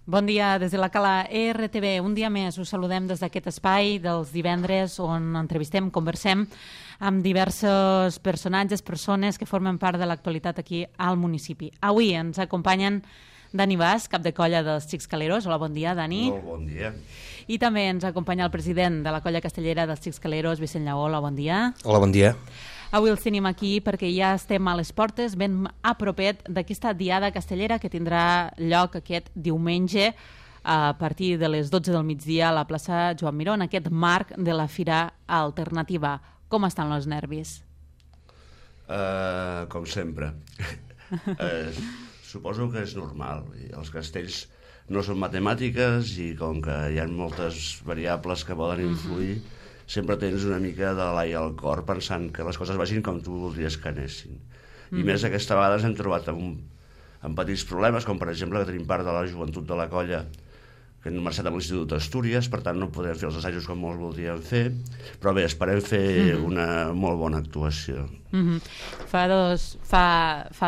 Bon dia des de la Cala RTV. Un dia més us saludem des d'aquest espai dels divendres on entrevistem, conversem amb diversos personatges, persones que formen part de l'actualitat aquí al municipi. Avui ens acompanyen Dani Bas, cap de colla dels Xics Caleros. Hola, bon dia, Dani. Molt bon dia. I també ens acompanya el president de la colla castellera dels Xics Caleros, Vicent Lleó. Hola, bon dia. Hola, bon dia. Avui els tenim aquí perquè ja estem a les portes, ben a propet d'aquesta diada castellera que tindrà lloc aquest diumenge a partir de les 12 del migdia a la plaça Joan Miró, en aquest marc de la Fira Alternativa. Com estan els nervis? Com sempre. Suposo que és normal. Els castells no són matemàtiques i com que hi ha moltes variables que poden influir, sempre tens una mica de l'ai al cor pensant que les coses vagin com tu voldries que anessin. I més aquesta vegada ens hem trobat amb petits problemes, com per exemple que tenim part de la joventut de la colla que han marxat a l'Institut d'Astúries, per tant no podem fer els assajos com molts voldríem fer, però bé, esperem fer una molt bona actuació. Fa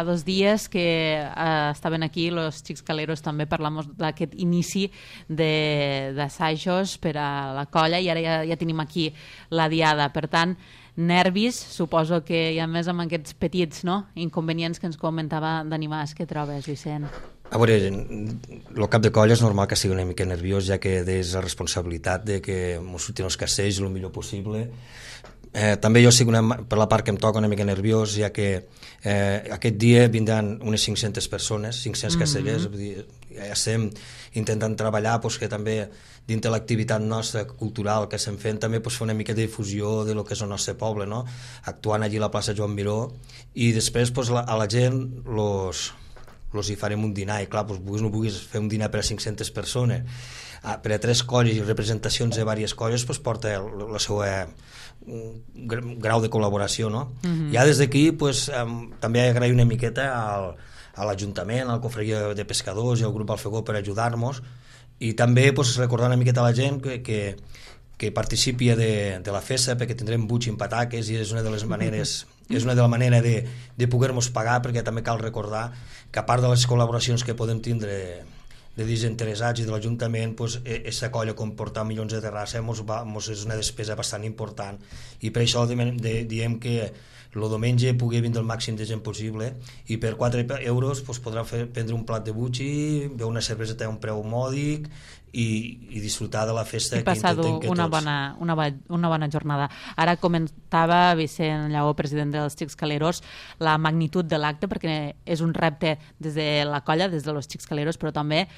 dos dies que estaven aquí los Xics Caleros també parlant d'aquest inici d'assajos per a la colla i ara ja tenim aquí la diada. Per tant, nervis, suposo que hi ha més amb aquests petits inconvenients que ens comentava Dani Bas. Què trobes, Vicent? A veure, el cap de colla és normal que sigui una mica nerviós, ja que és la responsabilitat de que ens surtin els castells el millor possible. També jo estic per la part que em toca una mica nerviós, ja que aquest dia vindran unes 500 persones, 500 castellers, ja estem intentant treballar que també dins de l'activitat nostra cultural que estem fent també fer una mica de difusió de lo que és el nostre poble, actuant allí a la plaça Joan Miró, i després a la gent hi farem un dinar, i clar, vulguis o no vulguis fer un dinar per a 500 persones, per a 3 colles i representacions de diverses colles, porta el seu grau de col·laboració, no? Ja des d'aquí també agrair una miqueta a l'Ajuntament, al Cofreria de Pescadors i al Grup Alfegó per ajudar-nos, i també recordar una miqueta a la gent que participi de la festa, perquè tindrem buig i pataques, i és una de les maneres de poder-nos pagar, perquè també cal recordar que a part de les col·laboracions que podem tindre de desinteressats i de l'Ajuntament, aquesta colla comportar milions de terrassa és una despesa bastant important, i per això diem que el diumenge pugui vindre el màxim de gent possible, i per 4 euros podrà prendre un plat de butxi, beure una cerveseta a un preu mòdic i disfrutar de la festa. I passar una bona jornada. Ara comentava Vicent Lleó, president dels Xics Caleros, la magnitud de l'acte, perquè és un repte des de la colla, des de los Xics Caleros, però també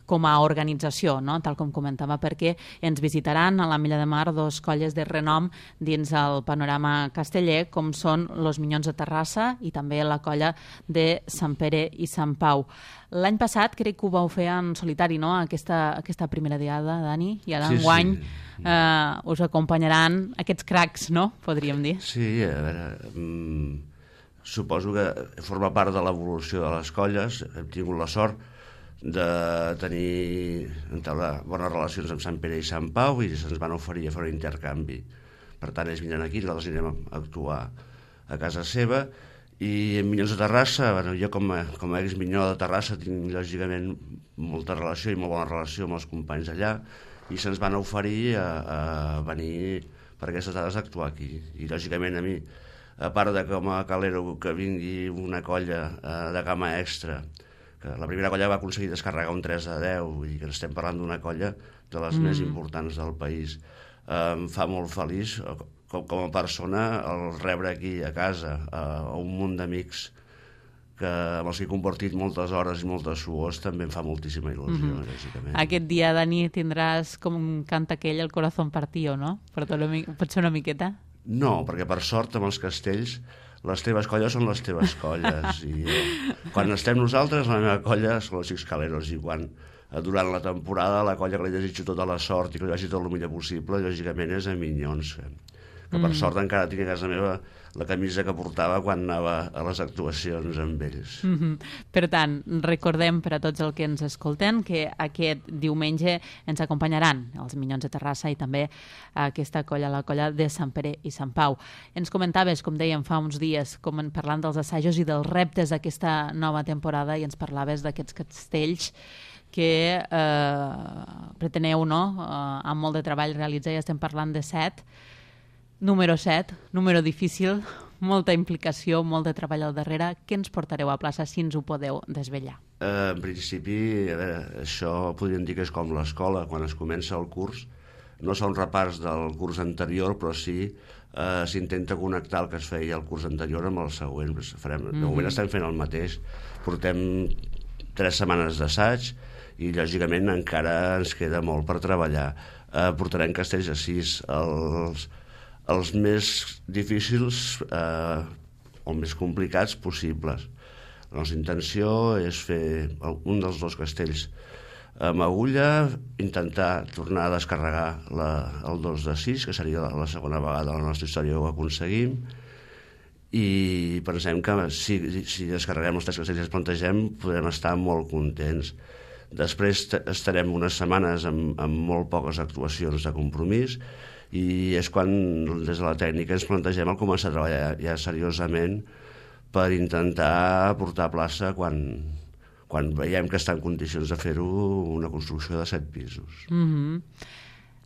com a organització, tal com comentava, perquè ens visitaran a la Milla de Mar 2 colles de renom dins el panorama casteller, com són los Minyons de Terrassa i també la colla de Sant Pere i Sant Pau. L'any passat crec que ho vau fer en solitari, aquesta primera diada, Dani? I ara enguany us acompanyaran aquests cracs, podríem dir. Sí, a veure, suposo que forma part de l'evolució de les colles. Hem tingut la sort de entablar bones relacions amb Sant Pere i Sant Pau i se'ns van oferir a fer un intercanvi. Per tant, ells vindran aquí, nosaltres anirem a actuar a casa seva. I en Minyons de Terrassa, jo com a ex-minyó de Terrassa tinc lògicament molta relació i molt bona relació amb els companys allà, i se'ns van oferir a venir per aquestes dades a actuar aquí. I lògicament a mi, a part de com a calero que vingui una colla de gamma extra, que la primera colla va aconseguir descarregar un 3-10 i que estem parlant d'una colla de les més importants del país, em fa molt feliç com a persona el rebre aquí a casa un munt d'amics amb els que he compartit moltes hores i moltes suors, també em fa moltíssima il·lusió, lògicament. Aquest dia, Dani, tindràs com canta aquell el corazón partido, no? Pot ser una miqueta? No, perquè per sort amb els castells les teves colles són les teves colles, i quan estem nosaltres la meva colla són els Xics Caleros, i durant la temporada la colla que li desitjo tota la sort i que li vagi tot el millor possible lògicament és a Minyons, que per sort encara tinc a casa meva la camisa que portava quan anava a les actuacions amb ells. Per tant, recordem per a tots els que ens escolten que aquest diumenge ens acompanyaran els Minyons de Terrassa i també aquesta colla, la colla de Sant Pere i Sant Pau. Ens comentaves, com dèiem fa uns dies, parlant dels assajos i dels reptes d'aquesta nova temporada, i ens parlaves d'aquests castells que preteneu, no?, amb molt de treball realitzar, ja estem parlant de 7. Número 7, número difícil, molta implicació, molt de treball al darrere. Què ens portareu a plaça, si ens ho podeu desvetllar? En principi, això podríem dir que és com l'escola, quan es comença el curs. No són repars del curs anterior, però sí s'intenta connectar el que es feia el curs anterior amb el següent. De moment estem fent el mateix. Portem 3 setmanes d'assaig i, lògicament, encara ens queda molt per treballar. Portarem castells a 6. Els més difícils o més complicats possibles. La nostra intenció és fer un dels 2 castells amb agulla, intentar tornar a descarregar el 2 de 6, que seria la segona vegada a la nostra història que ho aconseguim, i pensem que si descarreguem els 3 castells que ens plantegem podrem estar molt contents. Després estarem unes setmanes amb molt poques actuacions de compromís, i és quan des de la tècnica ens plantegem el començar a treballar ja seriosament per intentar portar a plaça quan veiem que està en condicions de fer-ho una construcció de 7 pisos.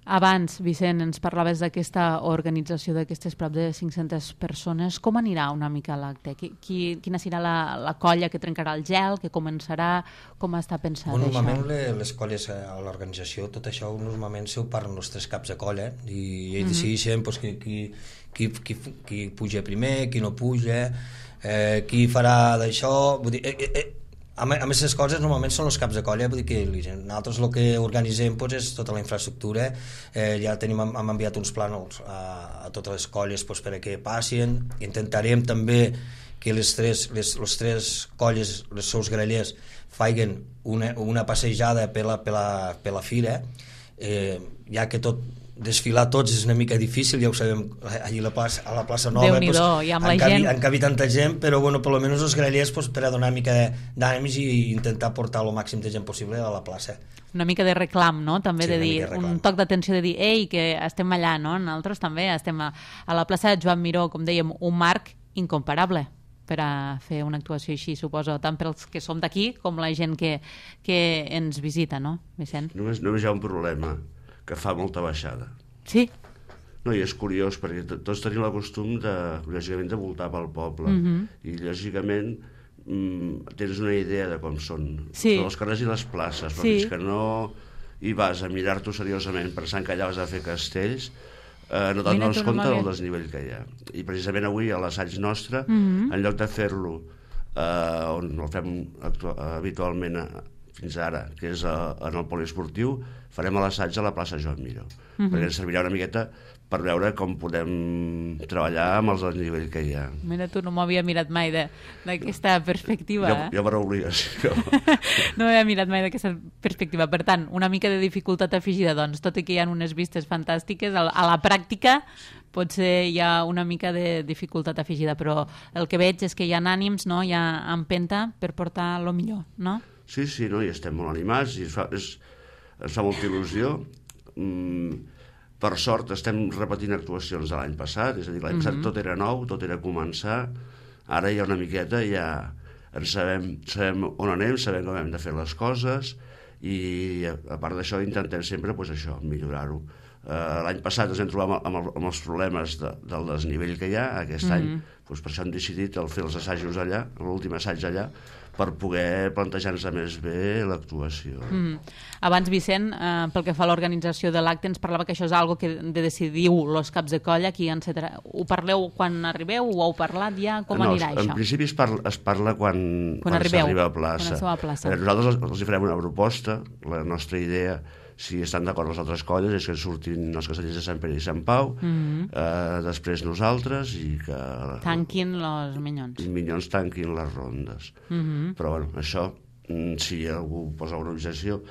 Abans, Vicent, ens parlaves d'aquesta organització d'aquestes prop de 500 persones. Com anirà una mica l'acte? Quina serà la colla que trencarà el gel, que començarà? Com està pensat això? Normalment les colles a l'organització, tot això normalment s'ho parlen els 3 caps de colla i ells decideixen qui puja primer, qui no puja, qui farà d'això. Vull dir, a més, les coses normalment són els caps de colla, vull dir que nosaltres el que organitzem és tota la infraestructura. Ja hem enviat uns plànols a totes les colles perquè passin. Intentarem també que les tres colles, els seus grellers, facin una passejada per la fira, ja que desfilar tots és una mica difícil, ja ho sabem, allà a la plaça Nova han cabit tanta gent, però per almenys els grellers per a donar una mica d'ànims i intentar portar el màxim de gent possible a la plaça. Una mica de reclam, no? També de dir, un toc d'atenció de dir, ei, que estem allà, no? Nosaltres també estem a la plaça Joan Miró, com dèiem, un marc incomparable per a fer una actuació així, suposo, tant pels que som d'aquí com la gent que ens visita, no, Vicent? Només hi ha un problema, que fa molta baixada. Sí? No, i és curiós, perquè tots tenim el costum, lògicament, de voltar pel poble. I, lògicament, tens una idea de com són els carrers i les places, però fins que no hi vas a mirar-t'ho seriosament pensant que allà vas a fer castells, no te'n dones compte del desnivell que hi ha. I precisament avui, a l'assaig nostre, en lloc de fer-lo on el fem habitualment fins ara, que és en el poliesportiu, farem l'assaig a la plaça Joan Miró, perquè ens servirà una miqueta per veure com podem treballar amb el desnivell que hi ha. Mira, tu no m'havia mirat mai d'aquesta perspectiva. Jo per obligació. No m'havia mirat mai d'aquesta perspectiva. Per tant, una mica de dificultat afegida, doncs, tot i que hi ha unes vistes fantàstiques, a la pràctica potser hi ha una mica de dificultat afegida, però el que veig és que hi ha ànims, no? Hi ha empenta per portar el millor, no? Sí, no? I estem molt animats i ens fa molta il·lusió. Per sort estem repetint actuacions de l'any passat, és a dir, l'any passat tot era nou, tot era començar, ara hi ha una miqueta, ja sabem on anem, sabem com hem de fer les coses i a part d'això intentem sempre millorar-ho. L'any passat ens vam trobar amb els problemes del desnivell que hi ha, aquest any per això hem decidit fer els assajos allà, l'últim assaig allà, per poder plantejar-nos més bé l'actuació. Abans, Vicent, pel que fa a l'organització de l'acte, ens parlava que això és algo que decidiu els caps de colla, ho parleu quan arribeu, ho heu parlat ja, com anirà això? En principi es parla quan s'arriba a plaça. Nosaltres els farem una proposta, la nostra idea, si estan d'acord les altres colles, és que surtin els castellers de Sant Pere i Sant Pau, després nosaltres, i que tanquin els minyons. Els minyons tanquin les rondes. Però això, si algú posa una objecció,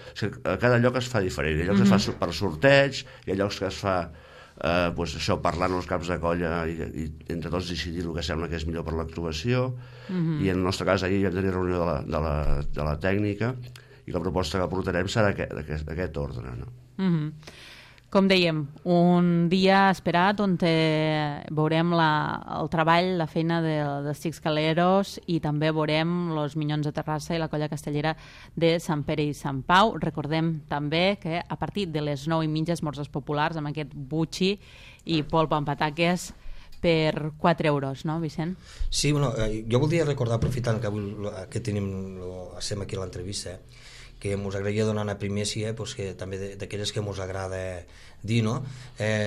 a cada lloc es fa diferent. Hi ha llocs que es fa per sorteig, hi ha llocs que es fa parlant els caps de colla i entre tots decidir el que sembla que és millor per l'actuació, i en el nostre cas ahir vam tenir reunió de la tècnica i la proposta que portarem serà d'aquest ordre, no? Com dèiem, un dia esperat on veurem el treball, la feina dels Xics Caleros i també veurem els Minyons de Terrassa i la Colla Castellera de Sant Pere i Sant Pau. Recordem també que a partir de les 9:30 esmorzars populars amb aquest butxi i polp amb pataques per 4 euros, no, Vicent? Sí, bueno, jo voldria recordar, aprofitant que avui que estem aquí a l'entrevista, que ens agradaria donar una primícia, pues, que també d'aquelles que ens agrada dir, no?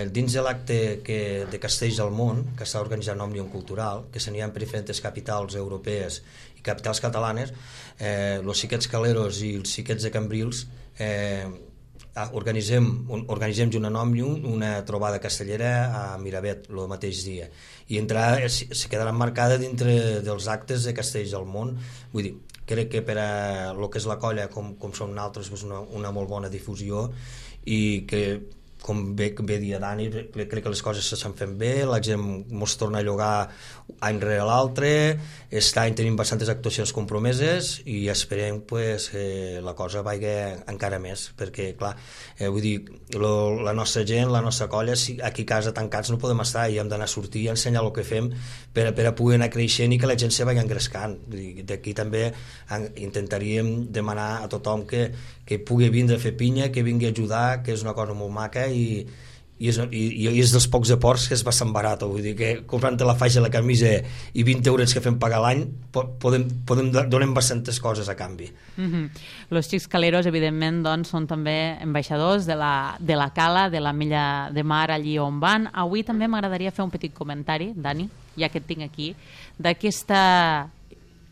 Dins de l'acte de Castells del Món, que està organitzant Òmnium Cultural, que s'anirà per diferents capitals europees i capitals catalanes, els Xiquets Caleros i els Xiquets de Cambrils organitzem junt amb Òmnium una trobada castellera a Miravet el mateix dia, i se quedarà marcada dintre dels actes de Castells del Món. Vull dir, crec que per a lo que és la colla, com som nosaltres, és una molt bona difusió, i que, com bé dia Dani, crec que les coses s'estan fent bé, la gent ens torna a llogar any rere l'altre, aquest any tenim bastantes actuacions compromeses i esperem pues, que la cosa vagi encara més, perquè clar, vull dir, la nostra gent, la nostra colla, aquí a casa tancats no podem estar i hem d'anar a sortir i ensenyar el que fem per a poder anar creixent i que la gent se vagi engrescant. D'aquí també intentaríem demanar a tothom que pugui vindre a fer pinya, que vingui a ajudar, que és una cosa molt maca i és dels pocs aports que és bastant barat. Vull dir que comprant-te la faixa, la camisa i 20 euros que fem pagar l'any donem bastantes coses a canvi. Los Xics Caleros, evidentment, doncs, són també ambaixadors de la cala, de la milla de mar allí on van. Avui també m'agradaria fer un petit comentari, Dani, ja que et tinc aquí,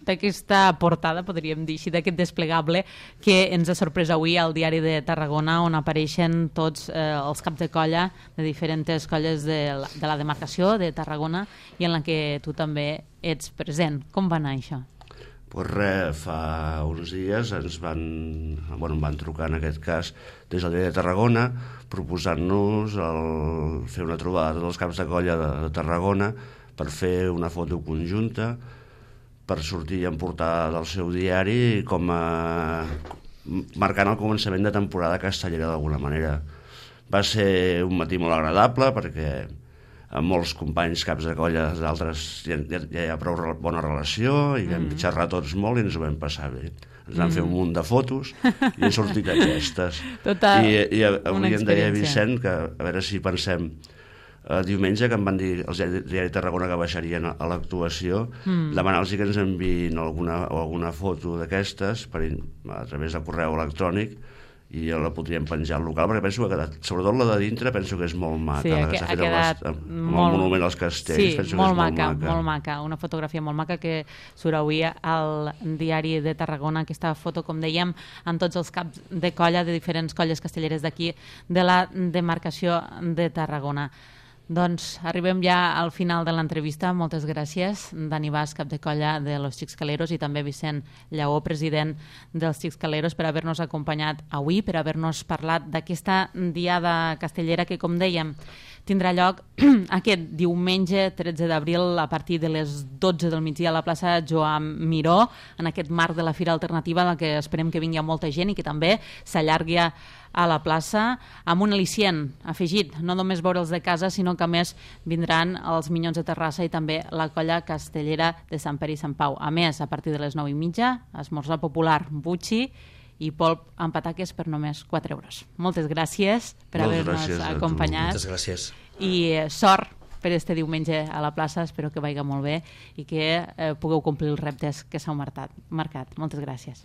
d'aquesta portada, podríem dir així, d'aquest desplegable que ens ha sorprès avui al Diari de Tarragona, on apareixen tots els caps de colla de diferents colles de la demarcació de Tarragona i en la que tu també ets present. Com va anar això? Pues res, fa uns dies em van trucar, en aquest cas, des del Diari de Tarragona, proposant-nos fer una trobada de tots els caps de colla de Tarragona per fer una foto conjunta, per sortir en portada del seu diari, com marcant el començament de temporada castellera d'alguna manera. Va ser un matí molt agradable perquè amb molts companys caps de colla d'altres ja hi ha prou bona relació i hem xerrat tots molt i ens ho vam passar bé. Ens vam fer un munt de fotos i han sortit aquestes. I avui em deia Vicent que a veure si pensem diumenge, que em van dir els Diari de Tarragona que baixarien a l'actuació, demanar-los que ens enviïn alguna foto d'aquestes a través de correu electrònic i la podríem penjar al local, perquè penso que sobretot la de dintre penso que és molt maca, la que s'ha fet amb el monument als castells, penso que és molt maca. Molt maca, una fotografia molt maca que surt avui al Diari de Tarragona, aquesta foto, com dèiem, amb tots els caps de colla de diferents colles castelleres d'aquí, de la demarcació de Tarragona. Doncs arribem ja al final de l'entrevista. Moltes gràcies, Dani Bas, cap de colla de los Xics Caleros, i també Vicent Lleó, president dels Xics Caleros, per haver-nos acompanyat avui, per haver-nos parlat d'aquesta diada castellera que, com dèiem, tindrà lloc aquest diumenge 13 d'abril a partir de les 12 del migdia a la plaça Joan Miró, en aquest marc de la Fira Alternativa, en la que esperem que vingui molta gent i que també s'allargui a la plaça, amb un al·licient afegit, no només veure'ls de casa, sinó que a més vindran els Minyons de Terrassa i també la colla castellera de Sant Pere i Sant Pau. A més, a partir de les 9:30, esmorzar popular, butxi i polp amb pataques per només 4 euros. Moltes gràcies per haver-nos acompanyat. Moltes gràcies. I sort per este diumenge a la plaça, espero que vagi molt bé i que pugueu complir els reptes que s'heu marcat. Moltes gràcies.